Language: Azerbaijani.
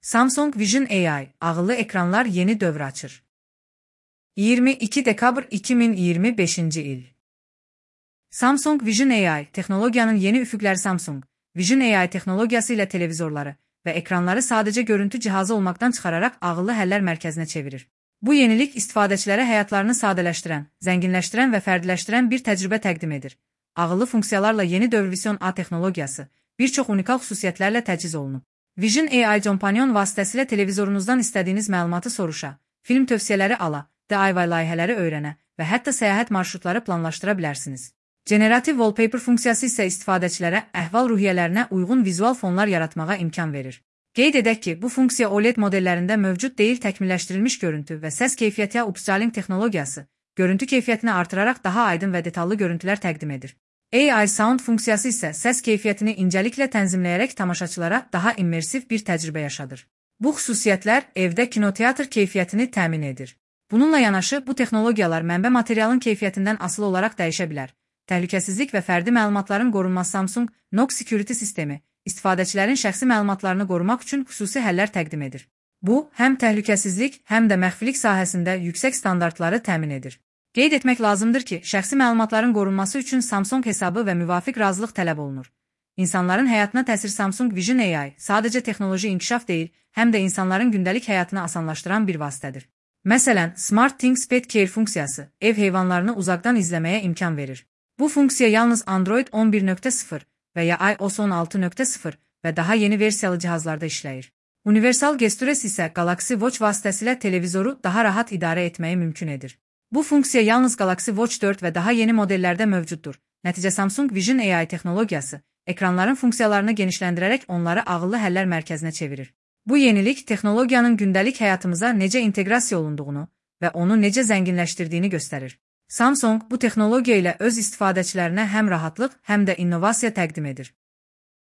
Samsung Vision AI, ağıllı ekranlar yeni dövr açır. 22 dekabr 2025 il. Samsung Vision AI, texnologiyanın yeni üfüqləri. Samsung Vision AI texnologiyası ilə televizorları və ekranları sadəcə görüntü cihazı olmaqdan çıxararaq ağıllı həllər mərkəzinə çevirir. Bu yenilik istifadəçilərə həyatlarını sadələşdirən, zənginləşdirən və fərdiləşdirən bir təcrübə təqdim edir. Ağıllı funksiyalarla yeni dövr Vision AI texnologiyası bir çox unikal xüsusiyyətlərlə təchiz olunub. Vision AI Companion vasitəsilə televizorunuzdan istədiyiniz məlumatı soruşa, film tövsiyələri ala, DIY layihələri öyrənə və hətta səyahət marşrutları planlaşdıra bilərsiniz. Generative Wallpaper funksiyası isə istifadəçilərə əhval-ruhiyyələrinə uyğun vizual fonlar yaratmağa imkan verir. Qeyd edək ki, bu funksiya OLED modellərində mövcud deyil, təkmilləşdirilmiş görüntü və səs keyfiyyəti upscaling texnologiyası görüntü keyfiyyətini artıraraq daha aydın və detallı görüntülər təqdim edir. AI Sound funksiyası isə səs keyfiyyətini incəliklə tənzimləyərək tamaşaçılara daha immersiv bir təcrübə yaşadır. Bu xüsusiyyətlər evdə kinoteatr keyfiyyətini təmin edir. Bununla yanaşı, bu texnologiyalar mənbə materialın keyfiyyətindən asılı olaraq dəyişə bilər. Təhlükəsizlik və fərdi məlumatların qorunması. Samsung Knox Security sistemi istifadəçilərin şəxsi məlumatlarını qorumaq üçün xüsusi həllər təqdim edir. Bu, həm təhlükəsizlik, həm də məxfilik sahəsində yüksək standartları təmin edir. Qeyd etmək lazımdır ki, şəxsi məlumatların qorunması üçün Samsung hesabı və müvafiq razılıq tələb olunur. İnsanların həyatına təsir. Samsung Vision AI sadəcə texnoloji inkişaf deyil, həm də insanların gündəlik həyatını asanlaşdıran bir vasitədir. Məsələn, Smart Things Pet Care funksiyası ev heyvanlarını uzaqdan izləməyə imkan verir. Bu funksiya yalnız Android 11.0 və ya iOS 16.0 və daha yeni versiyalı cihazlarda işləyir. Universal Gestures isə Galaxy Watch vasitəsilə televizoru daha rahat idarə etməyi mümkün edir. Bu funksiya yalnız Galaxy Watch 4 və daha yeni modellərdə mövcuddur. Nəticə Samsung Vision AI texnologiyası ekranların funksiyalarını genişləndirərək onları ağıllı həllər mərkəzinə çevirir. Bu yenilik texnologiyanın gündəlik həyatımıza necə inteqrasiya olunduğunu və onu necə zənginləşdirdiyini göstərir. Samsung bu texnologiya ilə öz istifadəçilərinə həm rahatlıq, həm də innovasiya təqdim edir.